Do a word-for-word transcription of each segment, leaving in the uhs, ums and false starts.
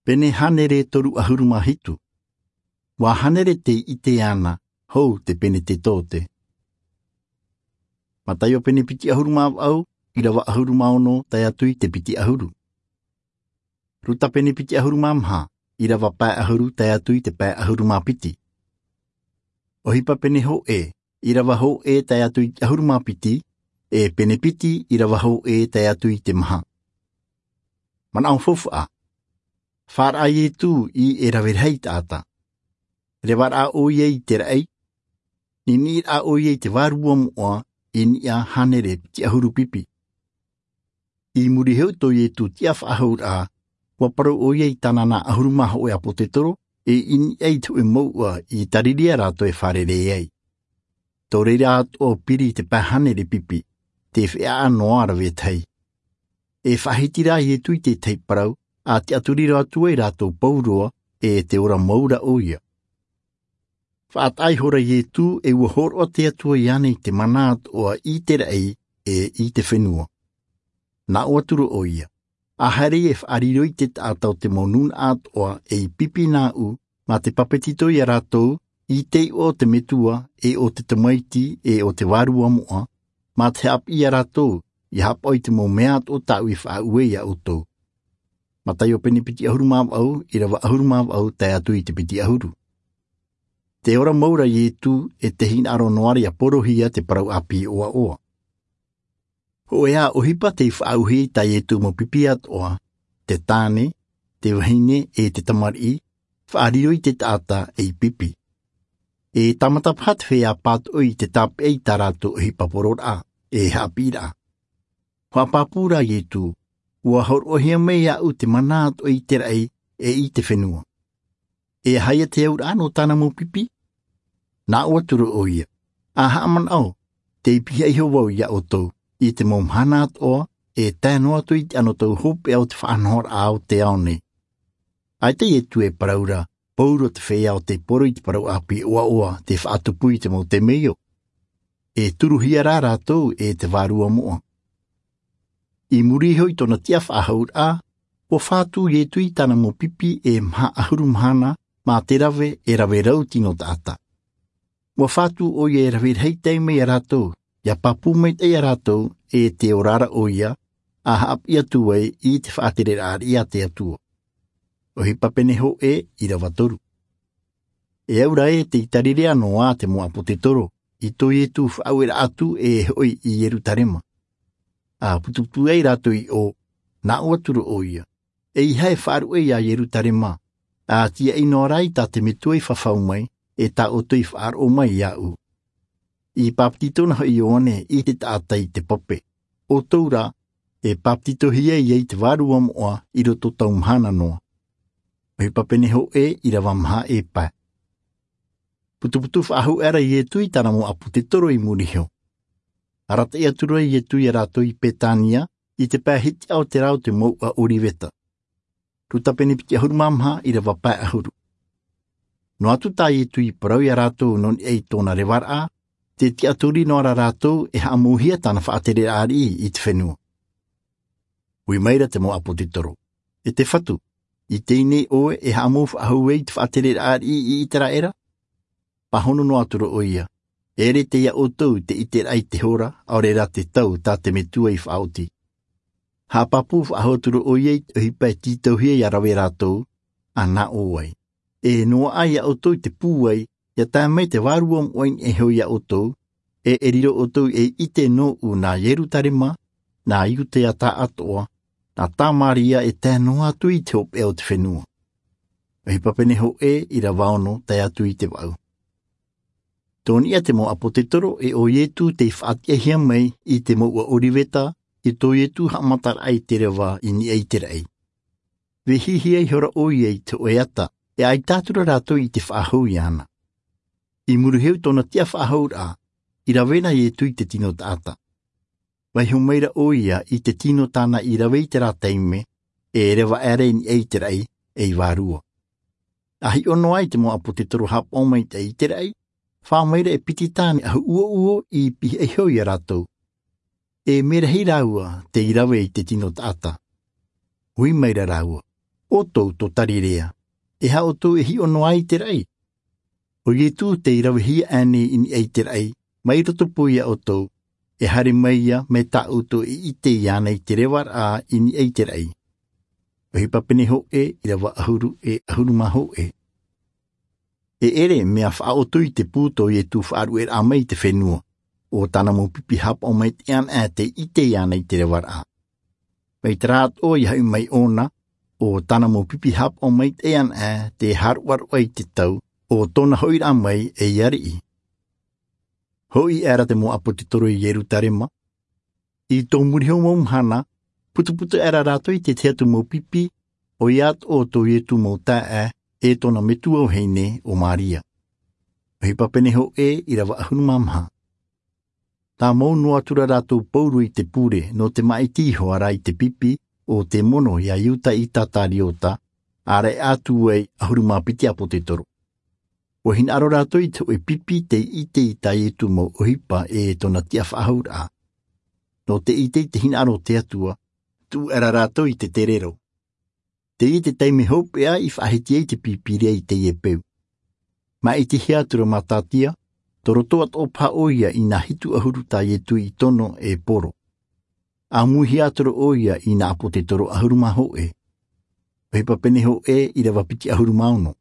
Pene hānere toru ʻahuru mā hitu. Ua hānere tei ʻite ana, hou te penetetote. Mataio pene piti ʻahuru mā vaʻu, ʻirava ʻahuru mā ono tae atu i te piti ʻahuru. Ruta pene piti ʻahuru mā maha, ʻirava pae ʻahuru tae atu i te pae ʻahuru mā piti. ʻOhipa pene hōʻē, ʻirava hōʻē tae atu i te ʻahuru mā piti, e pene piti, ʻirava hōʻē tae atu i te maha. Manaʻo faufaʻa. Fāraʻa Ietu i e rave rahi taʻata. Revaraʻa ʻoia i te raʻi. Niniʻiraʻa ʻoia i te vārua moʻa, i niʻa hānere piti ʻahuru pipi. I muri iho i tō Ietu tiʻa faʻahouraʻa, ua parau ʻoia i tāna nā ʻahuru mā hōʻē ʻāpōsetolo, e i niʻa i te hōʻē mouʻa i Tarirea rātou e fārerei ai. Tō reira atoʻa piri i te pae hānere pipi, te feiā noa rave tahi. E faʻahiti rā Ietu i te tahi parau, ʻa tiʻaturiraʻa atu ai rātou pauroa, e te ora mau ra ʻoia. Faʻataʻa ihora Ietu e ua hōroʻa te Atua iāna i te mana atoʻa i te raʻi, e i te fenua. Nā ʻō atu ra ʻoia, ʻa haere e faʻariro i te taʻata o te mau nūnaʻa atoʻa ei pipi nāʻu, mā te pāpetito ia rātou, i te iʻoa o te Metua, e o te Tamaiti, e o te Vārua moʻa, mā te haʻapiʻi ia rātou, ia haʻapaʻo i te mau mea atoʻa tāʻu i faʻaue ia ʻoutou. Mataio pene piti ʻahuru mā vaʻu, ʻirava ʻahuru mā vaʻu, tae atu i te piti ʻahuru. Te ora mau ra Ietu, e te hinaʻaro noa ra ia porohia te parau ʻāpī ʻoaʻoa. Hōʻē ā ʻohipa tei faʻaʻauhia i tā Ietu mau pipi atoʻa, te tāne, te vahine, e te tamariʻi, faʻariro i te taʻata ei pipi. E tāmata paha te feiā pātoʻi i te tāpeʻa i tā rātou ʻohipa pororaʻa, e haʻapiʻiraʻa. Faʻapāpū rā Ietu, ua hōroʻahia mai iāʻu te mana atoʻa i te raʻi, e i te fenua. E aha ia te auraʻa nō tāna mau pipi? Nā ʻō atu ra ʻoia, ʻa haʻamanaʻo, tei pihaʻi iho vau ia ʻoutou, i te mau mahana atoʻa, e tae noa atu i te anotau hopeʻa o te faʻanahoraʻa o te ao nei. ʻAita Ietu e parau ra, pauroa te feiā o tei poro i te parau ʻāpī ʻoaʻoa, tei faʻatupu i te mau temeio. E turuhia rā rātou e te Vārua moʻa. I muri iho i tōna tiʻa faʻahouraʻa, ua fātū Ietu i tāna mau pipi e maha ʻahuru mahana, mā te rave, e rave rau tino taʻata. Ua fātū ʻoia e rave rahi taime ia rātou, ia pāpū maitaʻi ia rātou, e te ora ra ʻoia, ʻa haʻapiʻi atu ai i te faʻatereraʻa ariʻi a te Atua. ʻOhipa pene hōʻē, ʻirava toru. E au ra ē tei Tarirea noa te mau ʻāpōsetolo, i tō Ietu faʻaueraʻa atu e hoʻi i Ierutarema. ʻA putuputu ai rātou i ʻō, nā ʻō atu ra ʻoia, ʻeiaha e faʻaruʻe ia Ierutarema, ʻa tiaʻi noa ra i tā te Metua i fafau mai, e tā ʻoutou i faʻaroʻo mai iāʻu. I pāpetito na hoʻi Ioane i te taʻata i te pape. ʻOutou rā, e pāpetitohia ia i te Vārua moʻa i roto tau mahana noa. ʻOhipa pene hōʻē, ʻirava maha e pae. Putuputu faʻahou aʻera Ietu i tāna mau ʻāpōsetolo i muri iho. Arataʻi atu ra Ietu ia rātou i Petania, i te pae hitiʻa o te rā o te mouʻa ʻOriveta. Ruta pene piti ʻahuru mā maha, ʻirava pae ʻahuru. Noa atu tā Ietu i parau ia rātou nō niʻa i tōna revaraʻa, tē tiʻaturi noa ra rātou e haʻamauhia tāna faʻatereraʻa ariʻi i te fenua. Ui mai ra te mau ʻāpōsetolo, e te Fatu, i teie nei ʻoe e haʻamau faʻahou ai i te faʻatereraʻa ariʻi i Iteraʻera? Pāhono noa atu ra ʻoia, e ʻere tei iā ʻoutou te ʻiteraʻa i te hora, ʻaore rā te tau tā te Metua i faʻaoti. Haʻapāpū faʻahou atu ra ʻoia i te ʻohipa e tītauhia ia rave rātou, ʻa nā ʻō ai. E noaʻa ia ʻoutou i te pūai, ia tae mai te Vārua moʻa i niʻa iho ia ʻoutou, e e riro ʻoutou ei ʻite nōʻu nā Ierutarema, nā Iutea tāʻatoʻa, nā Tamaria e tae noa atu i te hopeʻa o te fenua. ʻOhipa pene hōʻē, ʻirava ono, tae atu i te vaʻu. Tō niʻa te mau ʻāpōsetolo e ʻo Ietu tei faʻatiʻahia mai i te mouʻa ʻOriveta, i tō Ietu haʻamataraʻa i te reva i niʻa i te raʻi. Vehihia ihora ʻoia i te hōʻē ata, e ʻaita atu ra rātou i te faʻahou iāna. I muri iho i tōna tiʻa faʻahouraʻa, i rave na Ietu i te tino taʻata. Vaiiho mai ra ʻoia i te tino tāna i rave i terā taime, e reva aʻera i niʻa i te raʻi, ei vārua. ʻA hiʻo noa i te mau ʻāpōsetolo haʻapaʻo maitaʻi i te raʻi, fā mai ra e piti tāne ʻahu ʻuoʻuo i pihaʻi iho ia rātou. E mea rahi rāua tei rave i te tino taʻata. Ui mai ra rāua, ʻoutou tō tarirea, e aha ʻoutou e hiʻo noa ai i te raʻi? ʻO ietū tei ravehia ʻānei i niʻa i te raʻi, mai roto pū iā ʻoutou, e haere mai ia mai tā ʻoutou e ʻite iāna i te revaraʻa i niʻa i te raʻi. ʻOhipa pene hōʻē, ʻīrava ʻahuru e ʻahuru mā hōʻē. E ʻere mea faʻaʻoto i te pū tō ietū faʻaruʻeraʻa mai i te fenua, ʻo tāna mau pipi hāpaʻo maitaʻi ʻanaʻe tei ʻite iāna i te revaraʻa. Mai te rā atoʻa ia hoʻi mai ʻōna, ʻo tāna mau pipi hāpaʻo maitaʻi ʻanaʻe te hāroʻaroʻa i te tau, ʻo tōna hoʻiraʻa mai ei ariʻi. Hoʻi aʻera te mau ʻāpōtetoro i ierutarema, i tō muri iho mau mahana, putuputu aʻera rātou i te tahi atu mau pipi, ʻoia atoʻa tō ietū mau taeaʻe, e tōna metua vahine ʻo maria. ʻOhipa pene hōʻē, ʻīrava ʻahuru mā maha. Tāmau noa atu ra rātou pauroa i te pure nō te māʻiti iho ā rā i te pipi, ʻo te mono iā iuta ʻīsakariota, ʻāreʻa atu ai ʻahuru mā piti ʻāpōtetoro. Ua hinaʻaro rātou i te hōʻē pipi tei ʻite i tā ietū mau ʻohipa e tōna tiʻa faʻahouraʻa. Nō te ʻite i te hinaʻaro o te atua, tuʻu aʻera rātou i te terero. Teie te taime hopeʻa i faʻahiti ai te pīpīria i teie peu. Māʻitihia atu ra matatia, tō roto atoʻa paha ʻoia i nā hitu ʻahuru tā ietū i tono e poro. ʻĀmuihia atu ra ʻoia i nā ʻāpōtetoro ʻahuru mā hōʻē. ʻOhipa pene hōʻē, ʻīrava piti ʻahuru mā ono.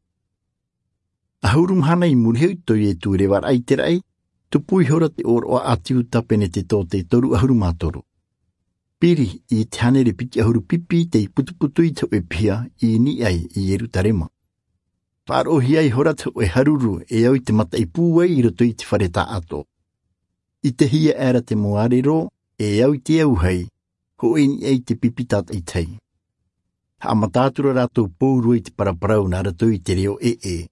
ʻAhuru mahana i muri iho i tō ietū revaraʻa i te raʻi, tupu ihora te ʻōroʻa ʻāti iuta penetekote toru ʻahuru mā toru. Piri i te hānere piti ʻahuru pipi tei putuputu i te hōʻē piha i niʻa i ierutarema. Faʻaroʻohia ihora te hōʻē haruru e au i te mataʻi pūai i roto i te fare taʻato. ʻItehia aʻera te mau ʻārero e au i te auahi, hōʻē i niʻa i te pipi tātaʻitahi. Haʻamata atu ra rātou pauroa i te paraparau nā roto i te reo ʻeʻe.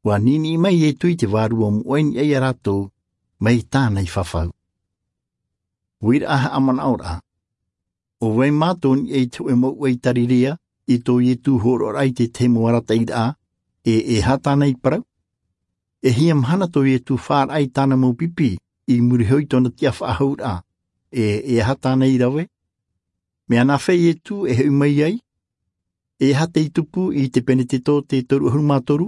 Ua niniʻi mai ietū i te vārua moʻa i niʻa iā rātou, mai tāna i fafau. Uiraʻa haʻamanaʻoraʻa. ʻO vai mātou i niʻa i te hōʻē mouʻa i tarirea, i tō ietū hōroʻaraʻa i te tahi mau arataʻiraʻa, e e aha tāna i parau? E hia mahana tō ietū fāraʻa i tāna mau pipi i muri iho i tōna tiʻa faʻahouraʻa, e e aha tāna i rave? Mea nāfea ietū e hoʻi mai ai? E aha tei tupu i te penetekote toru ʻahuru mā toru?